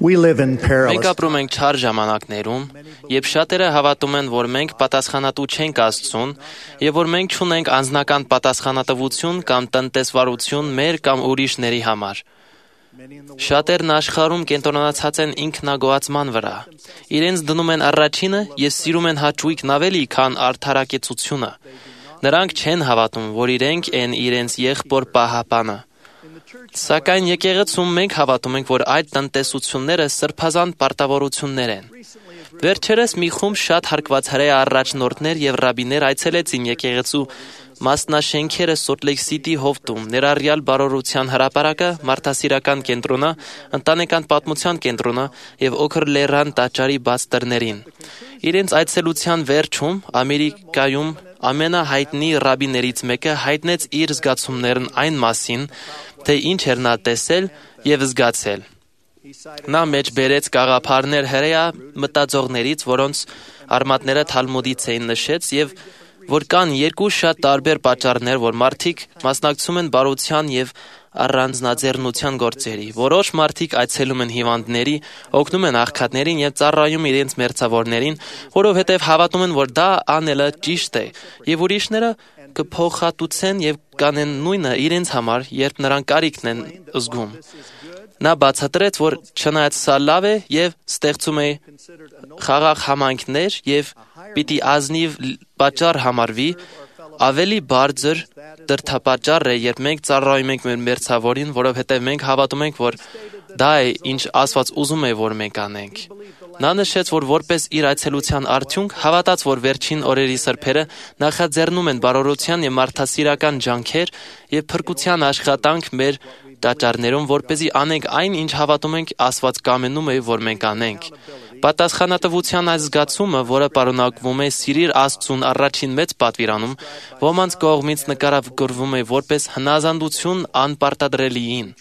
We live in Մենք perilous ապրում ենք չար ժամանակներում, երբ շատերը հավատում են, որ մենք պատասխանատու չենք Աստծուն, եւ որ մենք չունենք անձնական պատասխանատվություն կամ տնտեսվարություն մեր կամ ուրիշների համար։ Շատերն աշխարհում կենտրոնացած են ինքնագոհացման վրա։ Իրենց դնում են առաջինը եւ սիրում են հաճույքն ավելի, քան արդարակեցությունը։ Նրանք չեն հավատում, որ իրենք են իրենց եղբոր պահապանը։ Սակայն եկեղեցում մենք հավատում ենք, որ այդ տնտեսությունները սրբազան պարտավորություններ են։ Վերջերս մի խումբ շատ հարգված հրեա առաջնորդներ եւ ռաբիներ այցելեցին եկեղեցու մասնաշենքերը Սոլտ Լեյք Սիթի հովտում, ներառյալ բարօրության հրապարակը, մարդասիրական կենտրոնը, ընտանեկան պատմության կենտրոնը եւ Օքր լեռան տաճարի բաց դռներին։ Իրենց այցելության վերջում Ամերիկայում ամենահայտնի ռաբիներից մեկը հայտնեց իր զգացումներն այն մասին, թե ինչ էր նա տեսել եւ զգացել։ Նա մեջ բերեց գաղափարներ հրեա մտածողներից, որոնց արմատները Թալմուդից էին նշեց եւ որ կան երկու շատ տարբեր պատճառներ, որ մարդիկ մասնակցում են բարության եւ առանձնաձեռնության գործերի։ Որոշ մարդիկ այցելում են հիվանդների, օգնում են աղքատներին եւ ծառայում իրենց մերձավորներին, որովհետեւ հավատում են, որ դա անելը ճիշտ է, եւ ուրիշները կփոխհատուցեն եւ կանեն նույնը իրենց համար, երբ նրանք կարիքն են զգում։ Նա բացատրեց, որ չնայած սա լավ է եւ ստեղծում է խաղաղ համայնքներ եւ պիտի ազնիվ պատճառ համարվի, ավելի բարձր դրդապատճառ է, երբ մենք ծառայում ենք մեր մերձավորին, որովհետեւ մենք հավատում ենք, որ դա է, ինչ Աստված ուզում է, որ մենք անենք։ Նա նշեց, որ որպես իր այցելության արդյունք հավատաց, որ վերջին օրերի սրբերը նախաձեռնում են բարօրության եւ մարդասիրական ջանքեր եւ փրկության աշխատանք մեր տաճարներում, որպեսզի անենք այն, ինչ հավատում ենք Աստված կամենում է, որ մենք անենք։ Պատասխանատվության այս զգացումը, որը պարունակվում է սիրիր Աստծուն առաջին մեծ պատվիրանում, ոմանց կողմից նկարագրվում է որպես հնազանդություն անպարտադրելիին։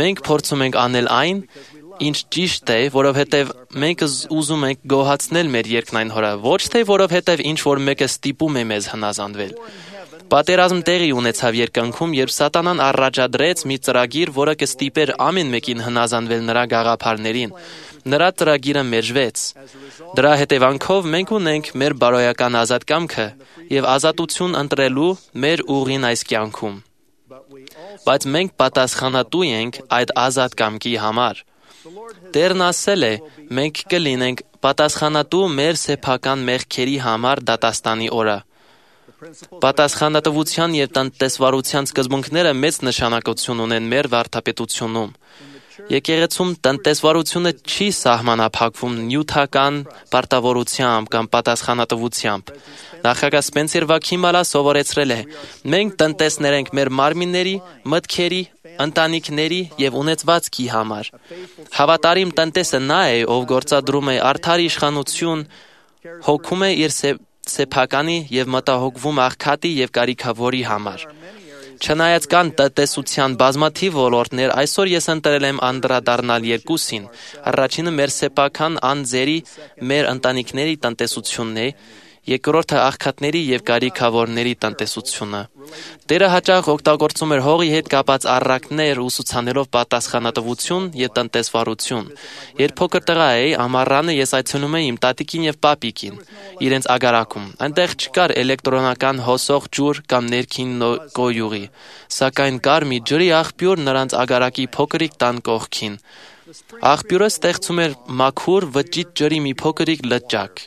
Մենք փորձում ենք անել այն, ինչ ճիշտ է, որովհետև մենք ուզում ենք գոհացնել մեր երկնային Հորը, ոչ թե որովհետև ինչ-որ մեկը ստիպում է մեզ հնազանդվել։ Պատերազմ տեղի ունեցավ երկնքում, երբ Սատանան առաջադրեց մի ծրագիր, որը կստիպեր ամեն մեկին հնազանդվել նրա գաղափարներին։ Նրա ծրագիրը մերժվեց։ Դրա հետևանքով մենք ունենք մեր բարոյական ազատ կամքը եւ ազատություն ընտրելու մեր ուղին այս կյանքում։ Բայց մենք պատասխանատու ենք այդ ազատ կամքի համար։ Տերն ասել է, մենք կլինենք պատասխանատու մեր սեփական մեղքերի համար դատաստանի օրը։ Պատասխանատվության եւ տնտեսվարության սկզբունքները մեծ նշանակություն ունեն մեր վարդապետությունում։ Եկեղեցում տնտեսվարությունը չի սահմանափակվում նյութական պարտավորությամբ կամ պատասխանատվությամբ։ Նախագահ Սպենսեր Վաքիմալը սովորեցրել է. մենք տնտեսներ ենք մեր մարմինների, մտքերի, ընտանիքների եւ ունեցվածքի համար։ Հավատարիմ տնտեսը նա է, ով գործադրում է արդար իշխանություն, հոգում է իր սեփականի եւ մտահոգվում աղքատի եւ կարիքավորի համար։ Չնայած կան տնտեսության բազմաթիվ ոլորտներ, այսօր ես ընտրել եմ անդրադառնալ երկուսին։ Առաջինը մեր սեփական անձերի, մեր ընտանիքների տնտեսությունն է, երկրորդը աղքատների եւ կարիքավորների տնտեսությունը։ Տերը հաճախ օգտագործում էր հողի հետ կապած առակներ ուսուցանելով պատասխանատվություն եւ տնտեսվարություն։ Երբ փոքր տղա էի, ամառանը ես այցելում էի իմ տատիկին եւ պապիկին իրենց ագարակում։ Այնտեղ չկար էլեկտրոնական հոսող ջուր կամ ներքին կոյուղի, սակայն կար մի ջրի աղբյուր նրանց ագարակի փոքրիկ տան կողքին։ Աղբյուրը ստեղծում էր մաքուր վճիտ ջրի մի փոքրիկ լճակ,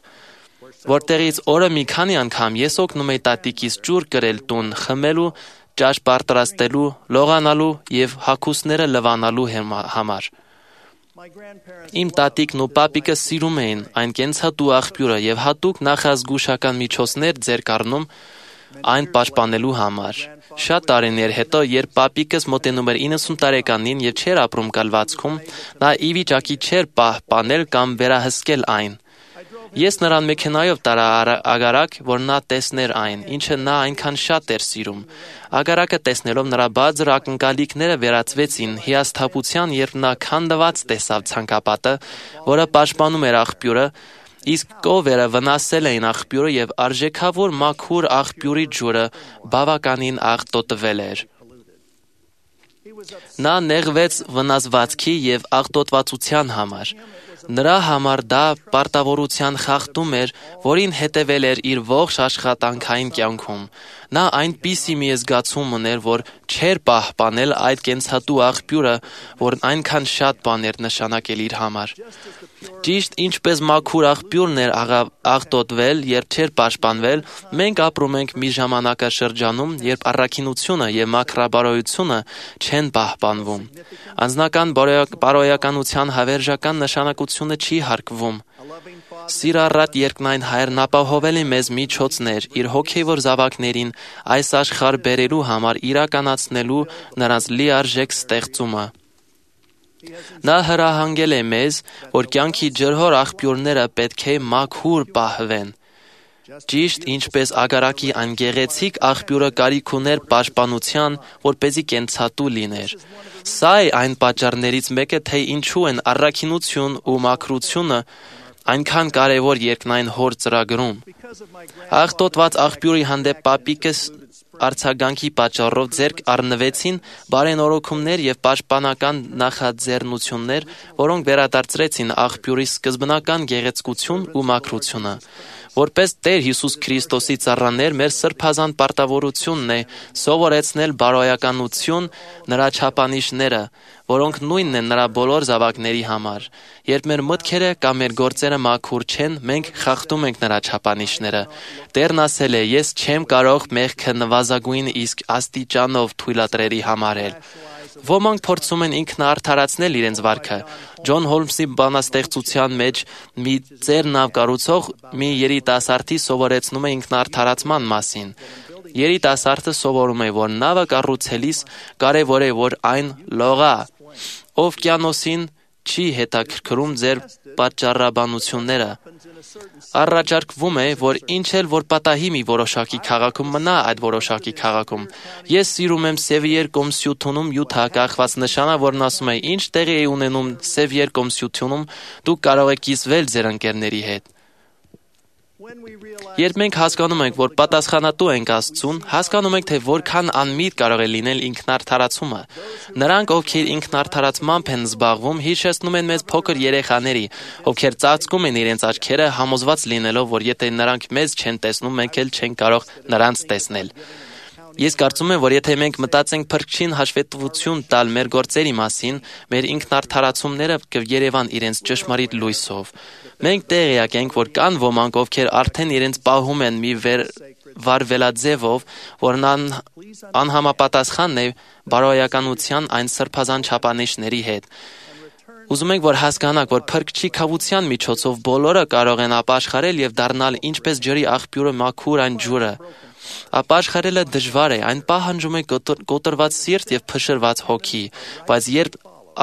որտեղից օրը մի քանի անգամ ես օգնում էի տատիկիս ջուր կրել տուն, խմելու, ճաշ պատրաստելու, լողանալու եւ հագուստները լվանալու համար։ Իմ տատիկն ու պապիկը սիրում էին այն կենցատու աղբյուրը եւ հատուկ նախազգուշական միջոցներ ձեռք առնում այն պաշտպանելու համար։ Շատ տարիներ հետո, երբ պապիկս մոտենում էր 90 տարեկանին եւ չէր ապրում կալվածքում, նա ի վիճակի չէր պահպանել կամ վերահսկել այն։ Ես նրան մեքենայով տարա ագարակ, որ նա տեսներ այն, ինչը նա այնքան շատ էր սիրում։ Ագարակը տեսնելով նրա բարձր ակնկալիքները վերածվեցին հիասթափության, երբ նա քանդված տեսավ ցանկապատը, որը պաշտպանում էր աղբյուրը, իսկ կովերը վնասել էին աղբյուրը եւ արժեքավոր մաքուր աղբյուրի ջուրը բավականին աղտոտվել էր։ Նա նեղվեց վնասվածքի և աղտոտվածության համար։ Նրա համար դա պարտավորության խախտում էր, որին հետևել էր իր ողջ աշխատանքային կյանքում։ Նա այնպիսի մի զգացում ուներ, որ չէր պահպանել այդ կենցատու աղբյուրը, որն այնքան շատ բան էր նշանակել իր համար։ Ճիշտ ինչպես մաքուր աղբյուրն էր աղտոտվել, երբ չէր պաշտպանվել, մենք ապրում ենք մի ժամանակաշրջանում, երբ առաքինությունը և մաքրաբարոյությունը չեն պահպանվում։ Անձնական բարոյականության հավերժական նշանակությունը չի հարգվում։ Սիրառատ երկնային Հայրն ապահովել է մեզ միջոցներ իր հոգևոր զավակներին այս աշխարհ բերելու համար իրականացնելու նրանց լիարժեք ստեղծումը։ Նա հրահանգել է մեզ, որ կյանքի ջրհոր աղբյուրները պետք է մաքուր պահվեն։ Ճիշտ ինչպես ագարակի այն գեղեցիկ աղբյուրը կարիք ուներ պաշտպանության, որպեսզի կենցատու լիներ։ Սա է այն պատճառներից մեկը, թե ինչու են առաքինություն ու մաքրությունը այնքան կարևոր երկնային Հոր ծրագրում։ Աղտոտված աղբյուրի հանդեպ պապիկս արձագանքի պատճառով ձեռք առնվեցին բարենորոգումներ և պաշտպանական նախաձեռնություններ, որոնք վերադարձրեցին աղբյուրի սկզբնական գեղեցկություն ու մաքրությունը։ Որպես Տեր Հիսուս Քրիստոսի ծառաներ, մեր սրբազան պարտավորությունն է սովորեցնել բարոյականություն նրա չափանիշները, որոնք նույնն են նրա բոլոր զավակների համար։ Երբ մեր մտքերը կամ մեր գործերը մաքուր չեն, մենք խախտում ենք նրա չափանիշները։ Տերն ասել է. «Ես չեմ կարող մեղքը նվազագույն իսկ աստիճանով թույլատրելի համարել»։ Ոմանք փորձում են ինքնաարդարացնել իրենց վարքը։ Ջոն Հոլմսի բանաստեղծության մեջ մի ծերնավ կառուցող մի երիտասարդի սովորեցնում է ինքնաարդարացման մասին։ Երիտասարդը սովորում է, որ նավը կառուցելիս կարևոր է, որ այն լողա։ Օվկիանոսին չի հետաքրքրում ձեր պատճառաբանությունները։ Առաջարկվում է, որ ինչ էլ որ պատահի մի որոշակի քաղաքում, մնա այդ որոշակի քաղաքում։ Ես սիրում եմ Սևիեր կոմսյութունում յութակախված նշանը, որն ասում է. «Ինչ տեղի է ունենում Սևիեր կոմսյութունում, դուք կարող եք կիսվել ձեր ընկերների հետ»։ Երբ մենք հասկանում ենք, որ պատասխանատու ենք Աստծուն, հասկանում ենք, թե որքան անմիտ կարող է լինել ինքնարդարացումը։ Նրանք, ովքեր ինքնարդարացմամբ են զբաղվում, հիշեցնում են մեզ փոքր երեխաների, ովքեր ծածկում են իրենց աչքերը, համոզված լինելով, որ եթե նրանք մեզ չեն տեսնում, մենք էլ չենք կարող նրանց տեսնել։ Ես կարծում եմ, որ եթե մենք մտածենք Փրկչին հաշվետվություն տալ մեր գործերի մասին, մեր ինքնարդարացումները կերևան իրենց ճշմարիտ լույսով։ Մենք տեղյակ ենք, որ կան ոմանք, ովքեր արդեն իրենց պահում են մի վարվելաձևով, որն անհամապատասխան է բարոյականության այն սրբազան չափանիշների հետ։ Ուզում ենք, որ հասկանաք, որ Փրկչի քավության միջոցով բոլորը կարող են ապաշխարել և դառնալ ինչպես ջրի աղբյուրը մաքուր այն ջուրը։ Ապաշխարելը դժվար է, այն պահանջում է կոտրված սիրտ և փշրված հոգի, բայց երբ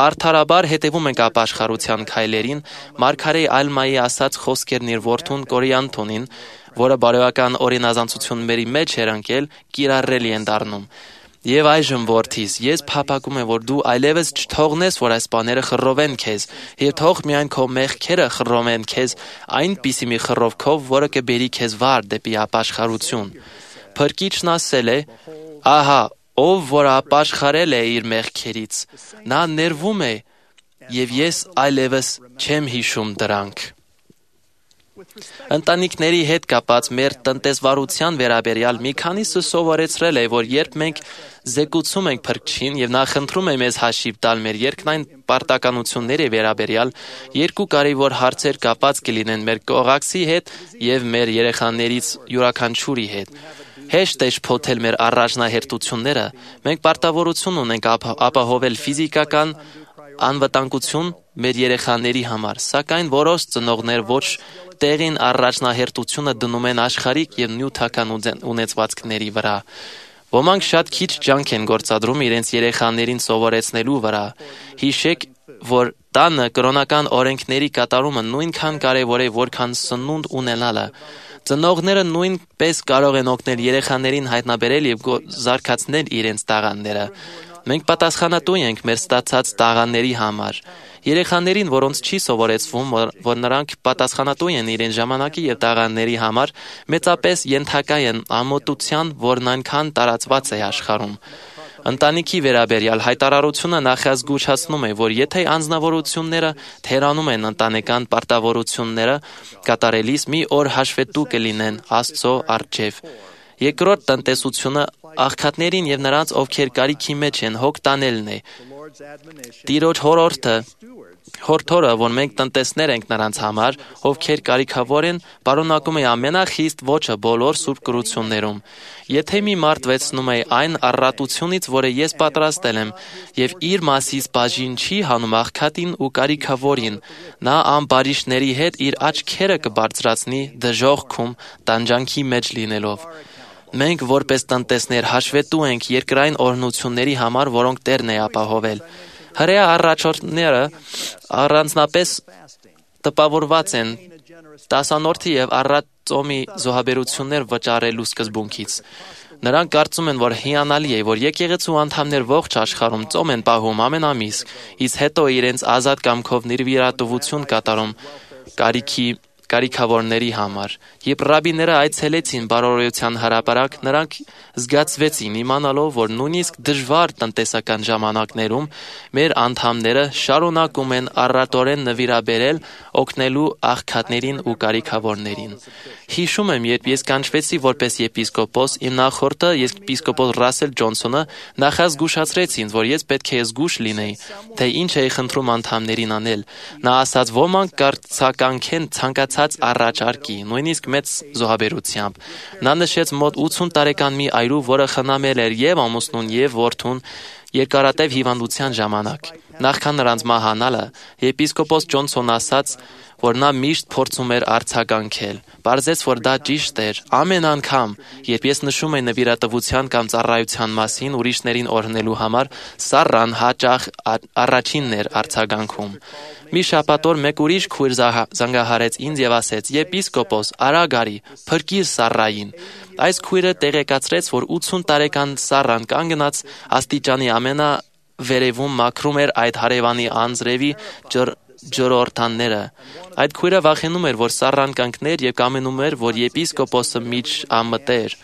արդարաբար հետևում ենք ապաշխարության քայլերին, Մարգարե Ալմայի ասած խոսքերն իր որդուն Կորիանթոնին, որը բարոյական օրինազանցությունների մեջ էր ընկել, կիրառելի են դառնում։ Եվ այժմ, որդիս, ես փափագում եմ, որ դու այլևս չթողնես, որ այս բաները խռովեն քեզ, և թող միայն քո մեղքերը խռովեն քեզ այնպիսի մի խռովքով, որը կբերի քեզ վար դեպի ապաշխարություն։ Փրկիչն ասել է. «Ահա, ով որ ապաշխարել է իր մեղքերից, նա ներվում է, և ես այլևս չեմ հիշում դրանք»։ Ընտանիքների հետ կապած մեր տնտեսվարության վերաբերյալ մի քանիսը սովորեցրել է, որ երբ մենք զեկուցում ենք Փրկչին և նա խնդրում է մեզ հաշիվ տալ մեր երկնային պարտականությունների վերաբերյալ, երկու կարևոր հարցեր կապած կլինեն մեր կողակցի հետ և մեր երեխաներից յուրաքանչյուրի հետ։ Հեշտ է շփոթել մեր առաջնահերթությունները, մենք պարտավորություն ունենք ապահովել ֆիզիկական անվտանգություն մեր երեխաների համար, սակայն որոշ ծնողներ ոչ տեղին առաջնահերթությունը դնում են աշխարհիկ և նյութական ունեցվածքների վրա։ Ոմանք շատ քիչ ջանք են գործադրում իրենց երեխաներին սովորեցնելու վրա։ Հիշեք, որ տանը կրոնական օրենքների կատարումը նույնքան կարևոր է, որքան սնունդ ունենալը։ Ծնողները նույնպես կարող են օգնել երեխաներին հայտնաբերել և զարգացնել իրենց տաղանդները։ Մենք պատասխանատու ենք մեր ստացած տաղանդների համար։ Երեխաներին, որոնց չի սովորեցվում, որ նրանք պատասխանատու են իրենց ժամանակի և տաղանդների համար, մեծապես ենթակա են ամոթության, որն այնքան տարածված է աշխարհում։ Ընտանիքի վերաբերյալ հայտարարությունը նախազգուշացնում է, որ եթե անձնավորությունները թերանում են ընտանեկան պարտավորությունները կատարելիս, մի օր հաշվետու կլինեն Աստծո առջև։ Երկրորդ տնտեսությունը աղքատներին եւ նրանց, ովքեր կարիքի մեջ են, հոգ տանելն է։ Տիրոջ հորդորը, որ մենք տնտեսներ ենք նրանց համար, ովքեր կարիքավոր են, պարունակում է ամենախիստ ոճը բոլոր սուրբ գրություններում։ Եթե մի մարդ վերցնում է այն առատությունից, որը ես պատրաստել եմ, եւ իր մասից բաժին չի հանում աղքատին ու կարիքավորին, նա ամբարիշտների հետ իր աչքերը կբարձրացնի դժոխքում տանջանքի մեջ լինելով։ Մենք որպես տնտեսներ հաշվետու ենք երկրային օրհնությունների համար, որոնք Տերն է ապահովել։ Հրեա առաջնորդները առանձնապես տպավորված են տասանորդի եւ առատ ծոմի զոհաբերություններ վճարելու սկզբունքից։ Նրանք կարծում են, որ հիանալի է, որ եկեղեցու անդամներ ողջ աշխարհում ծոմ են պահում ամեն ամիս, իսկ հետո իրենց ազատ կամքով նիրվիրատվություն կատարում կարիքավորների համար։ Երբ ռաբիները այցելեցին բարօրության հրապարակ, նրանք զգացվեցին իմանալով, որ նույնիսկ դժվար տնտեսական ժամանակներում մեր անդամները շարունակում են առատորեն նվիրաբերել օգնելու աղքատներին ու կարիքավորներին։ Հիշում եմ, երբ ես կանչվեցի որպես եպիսկոպոս, իմ նախորդը եպիսկոպոս Ռասել Ջոնսոնը նախազգուշացրեց ինձ, որ ես պետք է զգուշ լինեի, թե ինչ էի խնդրում անդամներին անել։ Նա ասաց, ոմանք կարծականքեն ցանկացած առաջարկի, նույնիսկ մեծ զոհաբերությամբ։ Նա նշեց մոտ 80 տարեկան մի այրու, որը խնամել էր եւ ամուսնուն եւ որդուն երկարատև հիվանդության ժամանակ։ Նախքան նրանց մահանալը, եպիսկոպոս Ջոնսոնն ասաց, որ նա միշտ փորձում էր արձագանքել։ Պարզեց, որ դա ճիշտ էր։ Ամեն անգամ, երբ ես նշում եմ նվիրատվության կամ ծառայության մասին ուրիշներին օրհնելու համար, Սառան հաճախ առաջինն էր արձագանքում։ Մի շաբաթ օր մեկ ուրիշ քույր զանգահարեց ինձ եւ ասեց. «Եպիսկոպոս, արագ արի, փրկիր Սառային»։ Այս քույրը տեղեկացրեց, որ 80 տարեկան Սառան կանգնած աստիճանի ամենավերևում մաքրում էր այդ հարևանի անձրևի ջրօրթանները։ Այդ քույրը վախենում էր, որ Սառան կանգներ եւ կամենում էր, որ եպիսկոպոսը միջ ամտեր։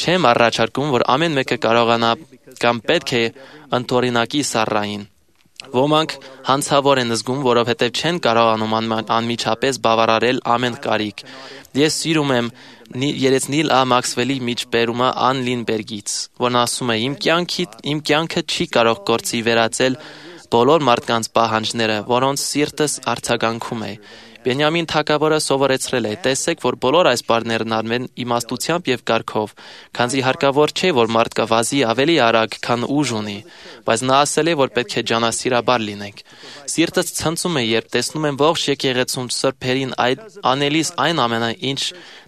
Չեմ առաջարկում, որ ամեն մեկը կարողանա կամ պետք է ընդօրինակի Սառային։ Ոմանք հանցավոր են զգում, որովհետև չեն կարողանում անմիջապես բավարարել ամեն կարիք։ Ես սիրում եմ երեցնիլ Ա Մաքսվելի միջբերումը Ան Լինբերգից, որն ասում է. «Իմ կյանքը չի կարող գործի վերածել բոլոր մարդկանց պահանջները, որոնց սիրտս արձագանքում է»։ Բենյամին թագավորը սովորեցրել է. «Տեսեք, որ բոլոր այս բառներն արվեն իմաստությամբ եւ կարգով, քանզի հարկավոր չէ, որ մարդը վազի ավելի արագ, քան ուժ ունի»։ Բայց նա ասել է, որ պետք է ջանասիրաբար լինենք։ Սիրտս ցնծում է, երբ տեսնում եմ ողջ եկեղեցում սրբերին անելիս այն ամենը, ինչ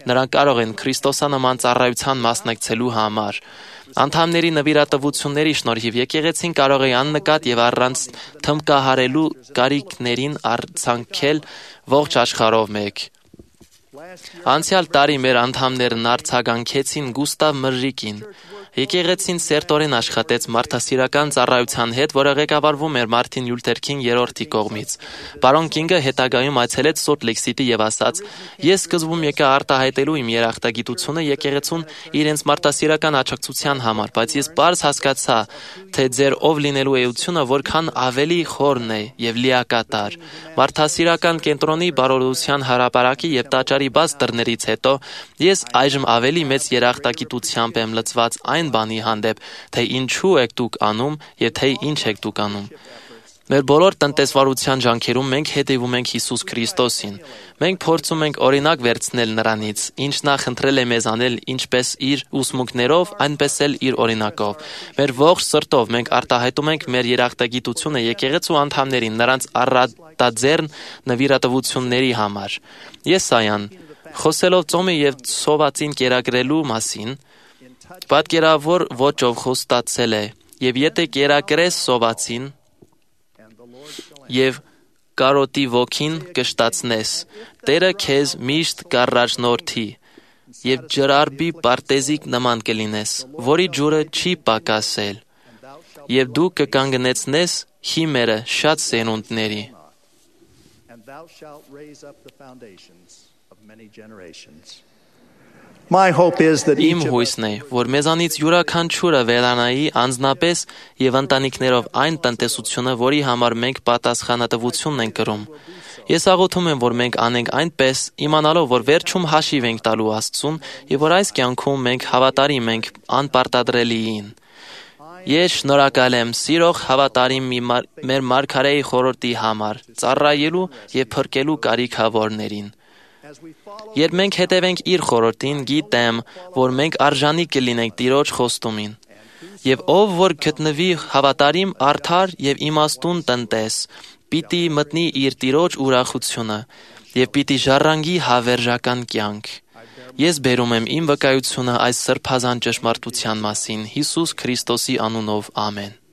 նրանք կարող են Քրիստոսանման ծառայության մասնակցելու համար։ Անդամների նվիրատվությունների շնորհիվ եկեղեցին կարող է աննկատ եւ առանց թմբկահարելու կարիքներին արձանքել ողջ աշխարհով մեկ։ Անցյալ տարի մեր անդամներն արձագանքեցին Գուստավ Մրրիկին։ Եկեղեցին սերտորեն աշխատեց մարդասիրական ծառայության հետ, որը ղեկավարվում էր Մարտին Լյութեր Քինգ III կողմից։ Պարոն Կինգը հետագայում այցելեց Սոլտ Լեյք Սիթի եւ ասաց. «Ես սկզբում եկա արտահայտելու իմ երախտագիտությունը եկեղեցուն իրենց մարդասիրական աջակցության համար, բայց ես պարզ հասկացա, թե ձեր ով լինելու էությունը որքան ավելի խորն է եւ լիակատար։ Մարդասիրական կենտրոնի բարօրության հրապարակի եւ տաճարի բաց դռներից հետո ես այժմ ավելի մեծ երախտագիտությամբ եմ լցված այն բանի հանդեպ, թե ինչու եք դուք անում եւ թե ինչ եք դուք անում։ Մեր բոլոր տնտեսվարության ջանքերում մենք հետևում ենք Հիսուս Քրիստոսին։ Մենք փորձում ենք օրինակ վերցնել նրանից, ինչ նա խնդրել է մեզ անել ինչպես իր ուսմունքներով, այնպես էլ իր օրինակով։ Մեր ողջ սրտով մենք արտահայտում ենք մեր երախտագիտությունը եկեղեցու անդամներին նրանց առատաձեռն նվիրատվությունների համար։ Եսայան, խոսելով ծոմի եւ սովածին կերակրելու մասին, պատկերավոր ոճով խոստացել է. «Եվ եթե կերակրես սովածին եւ կարոտի ոգին կշտացնես, Տերը քեզ միշտ կառաջնորդի եւ ջրարբի պարտեզիկ նման կլինես, որի ջուրը չի պակասել, եւ դու կկանգնեցնես հիմերը շատ սերունդների»։ My hope is that Իմ each of us հույսն է, որ մեզանից յուրաքանչյուրը վերանայի անձնապես եւ ընտանիքներով այն տնտեսությունը, որի համար մենք պատասխանատվություն ենք կրում։ Ես աղոթում եմ, որ մենք անենք այնպես, իմանալով, որ վերջում հաշիվ ենք տալու Աստծուն եւ որ այս կյանքում մենք հավատարիմ ենք անպարտադրելիին։ Ես շնորհակալ եմ սիրող հավատարիմ մեր մարգարեի խորհրդի համար, ծառայելու եւ փրկելու կարիքավորներին։ Երբ մենք հետևենք իր խորհրդին, գիտեմ, որ մենք արժանի կլինենք Տիրոջ խոստումին։ Եվ ով որ գտնվի հավատարիմ, արդար եւ իմաստուն տնտես, պիտի մտնի իր Տիրոջ ուրախությունը եւ պիտի ժառանգի հավերժական կյանք։ Ես բերում եմ իմ վկայությունը այս սրբազան ճշմարտության մասին Հիսուս Քրիստոսի անունով, ամեն։